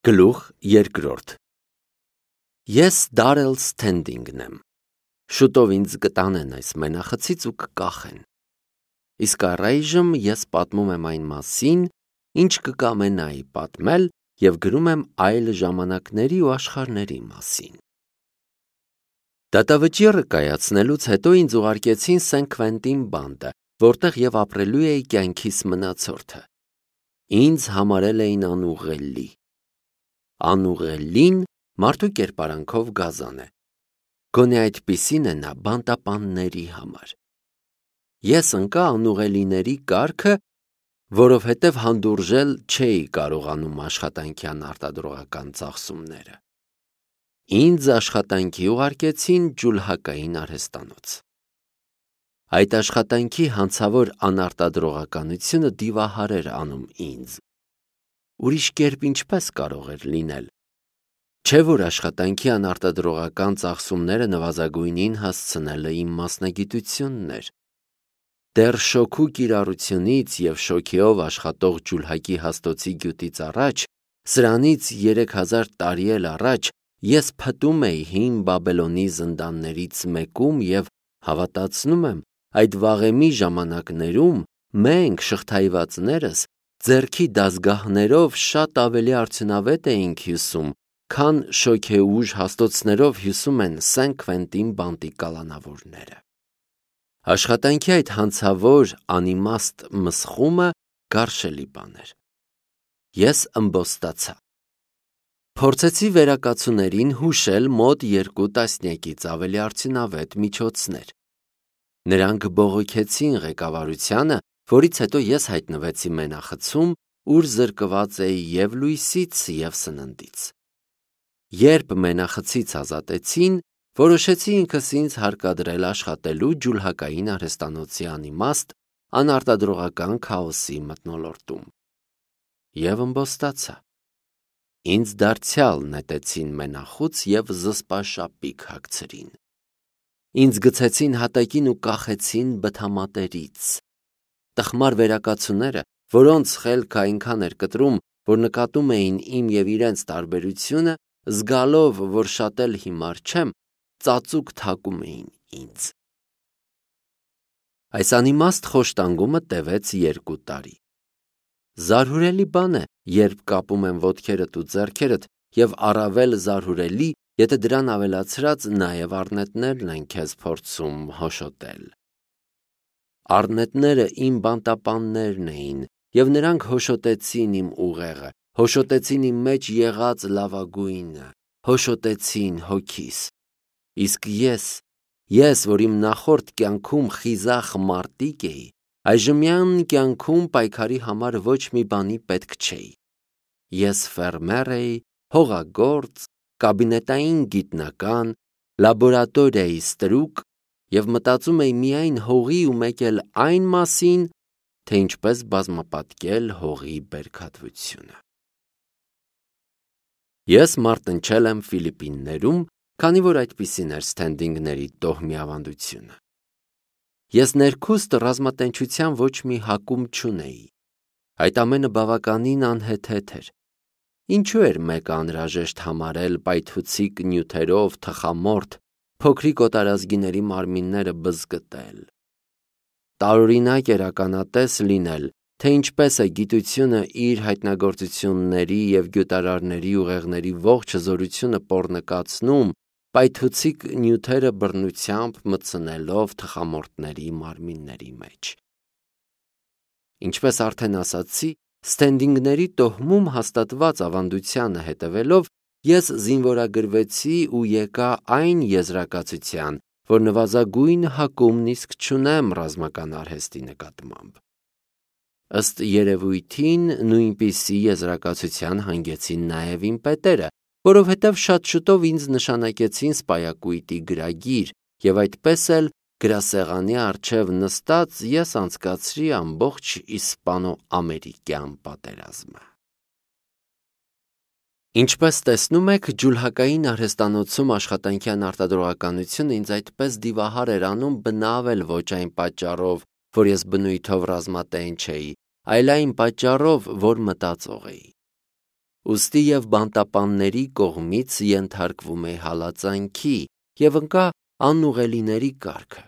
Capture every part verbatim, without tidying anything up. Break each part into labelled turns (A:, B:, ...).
A: Գլուխ երկրորդ Ես Դարել Սթենդինգն եմ, շուտով ինձ կտանեն այս մենախցից ու կկախեն, իսկ առայժմ ես պատմում եմ այն մասին, ինչ կկամենայի պատմել և գրում եմ այլ ժամանակների ու աշխարհների մասին։ Դատավճիռը կայացնելուց հետո ինձ ուղարկեցին Սեն Քվենտին բանտը, որտեղ և ապրելու էի կյանքիս մնացորդը։ Ինձ համարել էին անուղղելի։ Անուղղելին մարդու կերպարանքով գազան է, գոնե այդպիսին է նա բանտապանների համար։ Ես ընկա անուղղելիների կարգը, որովհետև հանդուրժել չէի կարողանում աշխատանքյան արտադրողական ծախսումները։ Ինձ աշխատանքի ուղարկեցին ջուլհակային արհեստանոց։ Այդ աշխատանքի հանցավոր անարտադրողականությունը դիվահար էր անում ինձ։ Ուրիշ կերպ ինչպես կարող էր լինել։ Չէ՞ որ աշխատանքի անարտադրողական ծախսումները նվազագույնին հասցնելը իմ մասնագիտությունն էր։ Դեռ շոգու կիրառությունից և շոգեով աշխատող ջուլհակի հաստոցի գյուտից առաջ, սրանից երեք հազար տարի էլ առաջ, ես փտում էի հին Բաբելոնի զնդաններից մեկում և հավատացնում եմ, այդ վաղեմի ժամանակներում մենք, շղթայվածներս, ձեռքի դազգահներով շատ ավելի արդյունավետ էինք հյուսում, քան շոգեուժ հաստոցներով հյուսում են Սեն Քվենտին բանտի կալանավորները։ Աշխատանքի այդ հանցավոր անիմաստ մսխումը գարշելի բան էր։ Ես ըմբոստացա։ Փորձեցի վերակացուներին հուշել մոտ երկու տասնյակից ավելի արդյունավետ միջոցներ։ Նրանք բողոքեցին ղեկավարությանը, որից հետո ես հայտնվեցի մենախցում, ուր զրկված էի և լույսից, և սննդից։ Երբ մենախցից ազատեցին, որոշեցի ինքս ինձ հարկադրել աշխատելու ջուլհակային արհեստանոցի անիմաստ, անարտադրողական քաոսի մթնոլորտում։ Եվ ըմբոստացա։ Ինձ դարձյալ նետեցին մենախուց և զսպաշապիկ հագցրին։ Ինձ գցեցին հատակին ու կախեցին բթամատերից։ Տխմար վերակացուները, որոնց խելքը այնքան էր կտրում, որ նկատում էին իմ և իրենց տարբերությունը, զգալով, որ շատ էլ հիմար չեմ, ծածուկ թակում էին ինձ։ Այս անիմաստ խոշտանգումը տևեց երկու տարի։ Զարհուրելի բան է, երբ կապում են ոտքերդ ու ձեռքերդ, և առավել զարհուրելի, եթե դրան ավելացրած նաև առնետներն են քեզ փորձում հոշոտել։ Առնետները իմ բանտապաններն էին, և նրանք հոշոտեցին իմ ուղեղը, հոշոտեցին իմ մեջ եղած լավագույնը, հոշոտեցին հոգիս։ Իսկ ես, ես, որ իմ նախորդ կյանքում խիզախ մարտիկ էի, այժմյան կյանքում պայքարի համար ոչ մի բանի պետք չէի։ Ես ֆերմեր էի, հողագործ, կաբինետային գիտնական, լաբորատորիայի ստրուկ և մտածում էի միայն հողի ու մեկ էլ այն մասին, թե ինչպես բազմապատկել հողի բերքատվությունը։ Ես մարտնչել եմ Ֆիլիպիններում, քանի որ այդպիսին էր Սթենդինգների տոհմի ավանդությունը։ Ես ներքուստ ռազմատենչության ոչ մի հակում չունեի։ Այդ ամենը բավականին անհեթեթ էր։ Ինչու էր մեկը անհրաժեշտ համարել պայթուցիկ նյութերով թխամորթ փոքրիկ օտարազգիների մարմինները բզկտել։ Տարօրինակ էր ականատես լինել, թե ինչպես է գիտությունը իր հայտնագործությունների և գյուտարարների ուղեղների ողջ հզորությունը պոռնկացնում, պայթուցիկ նյութերը բռնությամբ մտցնելով թխամորթների մարմինների մեջ։ Ինչպես արդեն ասացի, Սթենդինգների տոհմում հաստատված ավանդությանը հետևելով, ես զինվորագրվեցի ու եկա այն եզրակացության, որ նվազագույն հակումն իսկ չունեմ ռազմական արհեստի նկատմամբ։ Ըստ երևույթին նույնպիսի եզրակացության հանգեցին նաև իմ պետերը, որովհետև շատ շուտով ինձ նշանակեցին սպայակույտի գրագիր, և այդպես էլ գրասեղանի առջև նստած ես անցկացրի ամբողջ իսպանո-ամերիկյան պատերազմը։ Ինչպես տեսնում եք, ջուլհակային արհեստանոցում աշխատանքի անարտադրողականությունը ինձ այդպես դիվահար էր անում բնավ էլ ոչ այն պատճառով, որ ես բնույթով ռազմատենչ էի, այլ այն պատճառով, որ մտածող էի։ ուստի և բանտապանների կողմից ենթարկվում է հալածանքի և ընկա անուղելիների կարգը։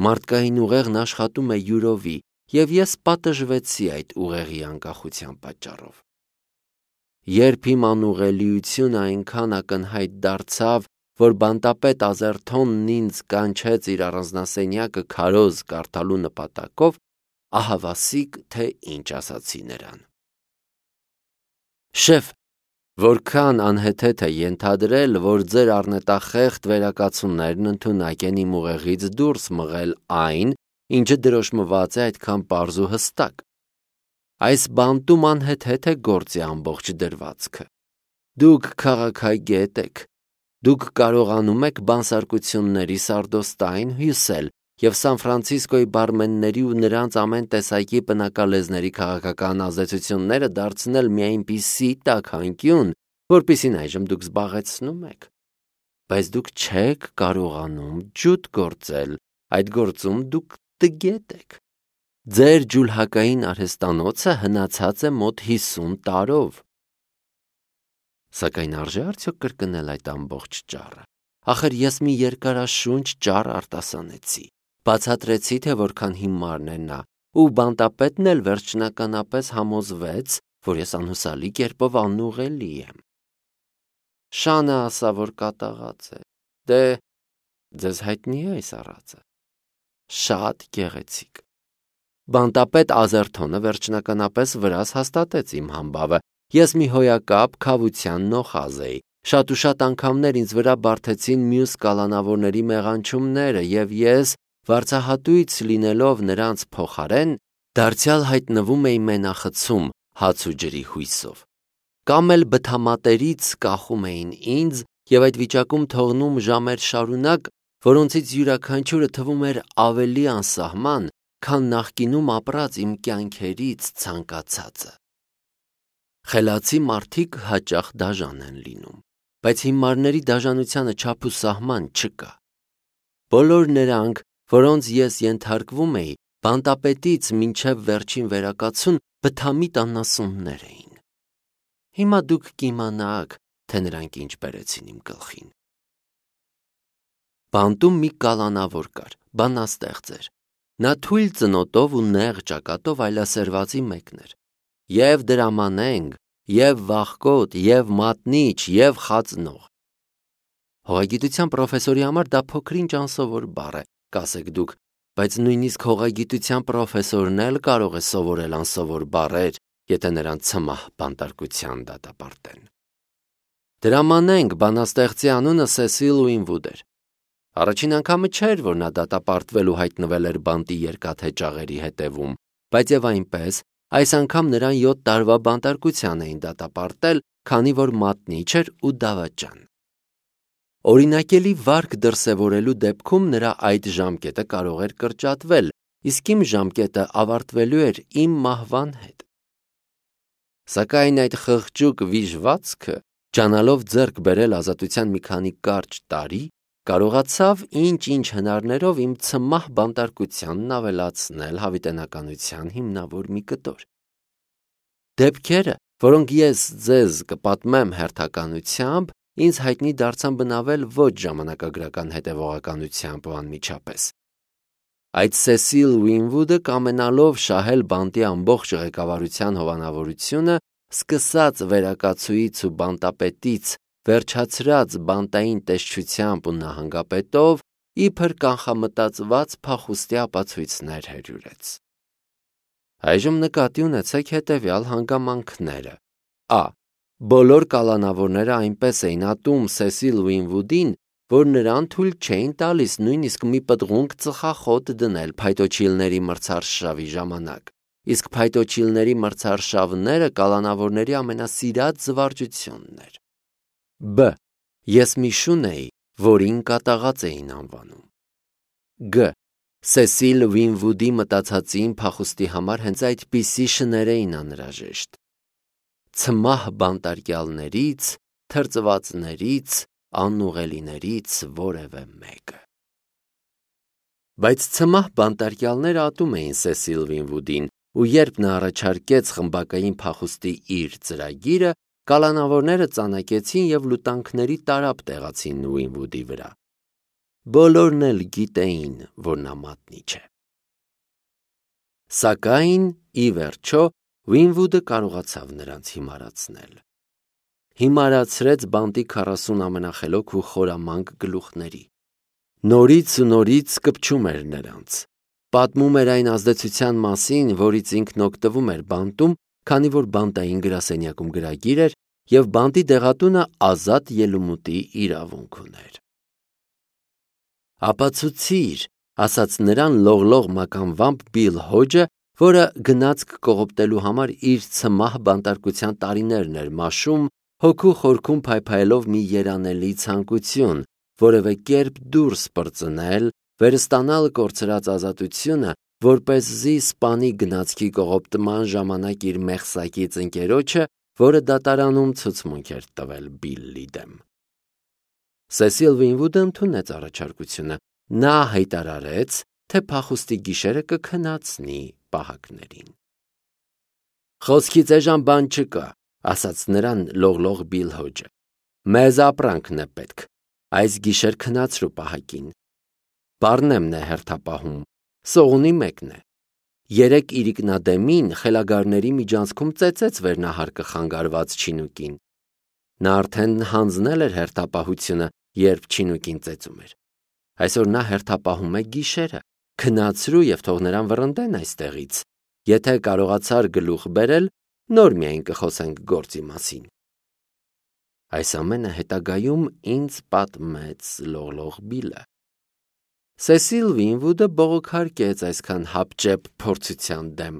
A: Մարդկային ուղեղն աշխատում է յուրովի, և ես պատժվեցի այդ ուղեղի անկախության պատճառով։ Երբ իմ անուղելիությունը այնքան ակնհայտ դարձավ, որ բանտապետ Ազերթոնն ինձ կանչեց իր առանձնասենյակը քարոզ կարդալու նպատակով, ահավասիկ թե ինչ ասացի նրան։ Շեֆ, որքան անհեթեթ է ենթադրել, որ ձեր առնետախեղդ վերակացություններն ընդունակ են իմ ուղեղից դուրս մղել այն, ինչը դրոշմված է այդքան պարզ ու հստակ։ Այս բանտում անհեթեթ է գործի ամբողջ դրվածքը։ Դուք քաղաքագետ եք, դուք կարողանում եք բանսարկությունների սարդոստային հյուսել և Սան Ֆրանցիսկոյի բարմենների ու նրանց ամեն տեսակի պնակալեզների քաղաքական ազդեցությունները դարձնել մի այնպիսի տաքանկյուն, որպիսին այժմ դուք զբաղեցնում եք։ Բայց դուք չեք կարողանում ջութ գործել, այդ գործում դուք տգետ եք։ Ձեր ջուլհակային արհեստանոցը հնացած է մոտ հիսուն տարով։ Սակայն արժե արդյոք կրկնել այդ ամբողջ ճառը։ Ախր ես մի երկարաշունչ ճառ արտասանեցի, բացատրեցի, թե որքան հիմարն է նա, ու բանտապետն էլ վերջնականապես համոզվեց, որ ես անհուսալի կերպով անուղելի եմ։ Շանը ասա, որ կատաղած է։ Դե, ձեզ հայտնի է այս առածը։ Շատ գեղեցիկ։ Բանտապետ Ազերթոնը վերջնականապես վրաս հաստատեց իմ համբավը։ Ես մի հոյակապ քավության նոխազ էի։ Շատ ու շատ անգամներ ինձ վրա բարդեցին մյուս կալանավորների մեղանչումները, և ես, վարձահատույց լինելով նրանց փոխարեն, դարձյալ հայտնվում էի մենախցում հաց ու ջրի հույսով։ Կամ էլ բթամատերից կախում էին ինձ և այդ վիճակում թողնում ժամեր շարունակ, որոնցից յուրաքանչյուրը թվում էր ավելի անսահման, քան նախկինում ապրած իմ կյանքերից ցանկացածը։ Խելացի մարդիկ հաճախ դաժան են լինում, բայց հիմարների դաժանությանը չափ ու սահման չկա։ Բոլոր նրանք, որոնց ես ենթարկվում էի, բանտապետից մինչև վերջին վերակացուն բթամիտ անասուններ էին։ Հիմա դուք կիմանաք, թե նրանք ինչ բերեցին իմ գլխին։ Բանտում մի կալանավոր կար, բանաստեղծ էր։ Նա թույլ ծնոտով ու նեղ ճակատով այլասերվածի մեկն էր։ Եվ դրամանենք, և վախկոտ, և մատնիչ, և խածնող։ Հողագիտության պրոֆեսորի համար դա փոքրինչ անսովոր բառ է, կասեք դուք, բայց նույնիսկ հողագիտության պրոֆեսորն էլ կարող է սովորել անսովոր բառեր, եթե նրան ցմահ բանտարկության դատապարտեն։ Դրամանենք, բանաստեղծի անունը Սեսիլ Ուինվուդ էր։ Առաջին անգամը չէր, որ նա դատապարտվել ու հայտնվել էր բանտի երկաթե ճաղերի հետևում, բայց եւ այնպես, այս անգամ նրան յոթ տարվա բանտարկության էին դատապարտել, քանի որ մատնիչ էր ու դավաճան։ Օրինակելի վարք դրսևորելու դեպքում նրա այդ ժամկետը կարող էր կրճատվել, իսկ իմ ժամկետը ավարտվելու էր իմ մահվան հետ։ Սակայն այդ խղճուկ վիժվածքը, ջանալով ձեռք բերել ազատության մի քանի կարճ տարի, կարողացավ ինչ-ինչ հնարներով իմ ցմահ բանտարկությանն ավելացնել հավիտենականության հիմնավոր մի կտոր։ Դեպքերը, որոնք ես ձեզ կպատմեմ հերթականությամբ, ինձ հայտնի դարձան բնավել ոչ ժամանակագրական հետևողականությամբ ու անմիջապես։ Այդ Սեսիլ Ուինվուդը, կամենալով շահել բանտի ամբողջ ղեկավարության հովանավորությունը, սկսած վերակացուից ու բանտապետից, վերջացրած բանտային տեսչությամբ ու նահանգապետով, իբր կանխամտածված փախուստի ապացույցներ հերյուրեց։ Այժմ նկատի ունեցեք հետևյալ հանգամանքները։ Ա. Բոլոր կալանավորները այնպես էին ատում Սեսիլ Ուինվուդին, որ նրան թույլ չէին տալիս նույնիսկ մի պտղունք ծխախոտ դնել փայտոջիլների մրցարշավի ժամանակ, իսկ փայտոջիլների մրցարշավները կալանավորների ամենասիրած զվարճությունն էր։ Բ. Ես մի շուն էի, որին կատաղած էին անվանում։ Գ. Սեսիլ Ուինվուդի մտածածին փախուստի համար հենց այդպիսի շներ էին անհրաժեշտ։ Ցմահ բանտարկյալներից, թրծվածներից, անուղելիներից որևէ մեկը։ Բայց ցմահ բանտարկյալները ատում էին Սեսիլ Ուինվուդին, ու երբ նա առաջարկեց խմբակային փախուստի իր ծրագիրը, կալանավորները ծանակեցին և լուտանքների տարափ տեղացին Ուինվուդի վրա։ Բոլորն էլ գիտեին, որ նա մատնի չէ։ Սակայն, ի վերջո, Ուինվուդը կարողացավ նրանց հիմարացնել։ Հիմարացրեց բանտի քառասուն ամենախելոք ու խորամանկ գլուխների։ Նորից ու նորից կպչում էր նրանց։ Պատմում էր այն ազդեցության մասին, որից ինքն օգտվում էր բանտում, քանի որ բանտային գրասենյակում գրագիր էր և բանտի դեղատունը ազատ ելումուտի իրավունք ուներ։ «Ապացուցիր», ասաց նրան լողլող մականվամբ Բիլ Հոջը, որը գնացք կողոպտելու համար իր ցմահ բանտարկության տարիներն էր մաշում, հոգու խորքում փայփայելով մի երանելի ցանկություն, որևէ կերպ դուրս պրծնել, վերստանալ կորցրած ազատությունը, որպեսզի սպանի գնացքի կողոպտման ժամանակ իր մեղսակից ընկերոջը, որը դատարանում ցուցմունք էր տվել Բիլլի դեմ։ Սեսիլ Ուինվուդը ընդունեց առաջարկությունը։ Նա հայտարարեց, թե փախուստի գիշերը կքնացնի պահակներին։ «Խոսքից էժան բան չկա», ասաց նրան լողլող Բիլ Հոջը։ «Մեզ ապրանքն է պետք։ Այս գիշեր քնացրու պահակին։ Պառնեմն է հերթապահում, սողունի մեկն է։ Երեկ իրիկնադեմին խելագարների միջանցքում ծեծեց վերնահարկը խանգարված չինուկին։ Նա արդեն հանձնել էր հերթապահությունը, երբ չինուկին ծեծում էր։ Այսօր նա հերթապահում է գիշերը։ Քնացրու և թող նրան վռնդեն այստեղից։ Եթե կարողացար գլուխ բերել, նոր միայն կխոսենք գործի մասին»։ Այս ամենը հետագայում ինձ պատմեց լողլող Բիլը։ Սեսիլ Ուինվուդը բողոքարկեց այսքան հապճեպ փորձության դեմ։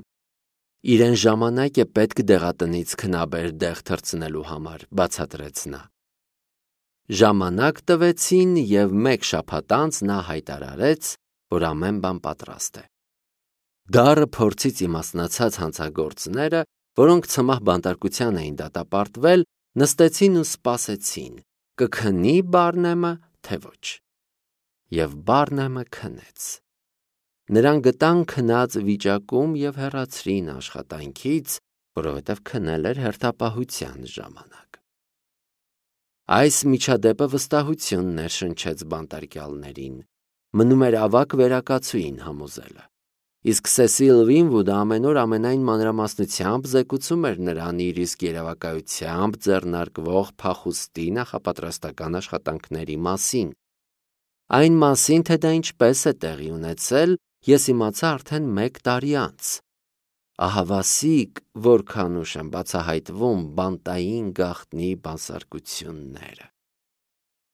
A: «Իրեն ժամանակ է պետք դեղատնից քնաբեր դեղ թռցնելու համար», բացատրեց նա։ Ժամանակ տվեցին և մեկ շաբաթ անց նա հայտարարեց, որ ամեն բան պատրաստ է։ Դառը փորձից իմաստնացած հանցագործները, որոնք ցմահ բանտարկության էին դատապարտվել, նստեցին ու սպասեցին՝ կքնի Բարնեմը, թե ոչ։ Եվ Բարնեմը քնեց։ Նրան գտան քնած վիճակում և հեռացրին աշխատանքից, որովհետև քնել էր հերթապահության ժամանակ։ Այս միջադեպը վստահություն ներշնչեց բանտարկյալներին։ Մնում էր ավագ վերակացուին համոզելը։ Իսկ Սեսիլ Ուինվուդը ամեն օր ամենայն մանրամասնությամբ զեկուցում էր նրան իր իսկ երևակայությամբ ձեռնարկվող փախուստի նախապատրաստական աշխատանքների մասին։ Այն մասին, թե դա ինչպես է տեղի ունեցել, ես իմացա արդեն մեկ տարի անց։ Ահավասիկ, որքան ուշ են բացահայտվում բանտային գաղտնի բանսարկությունները։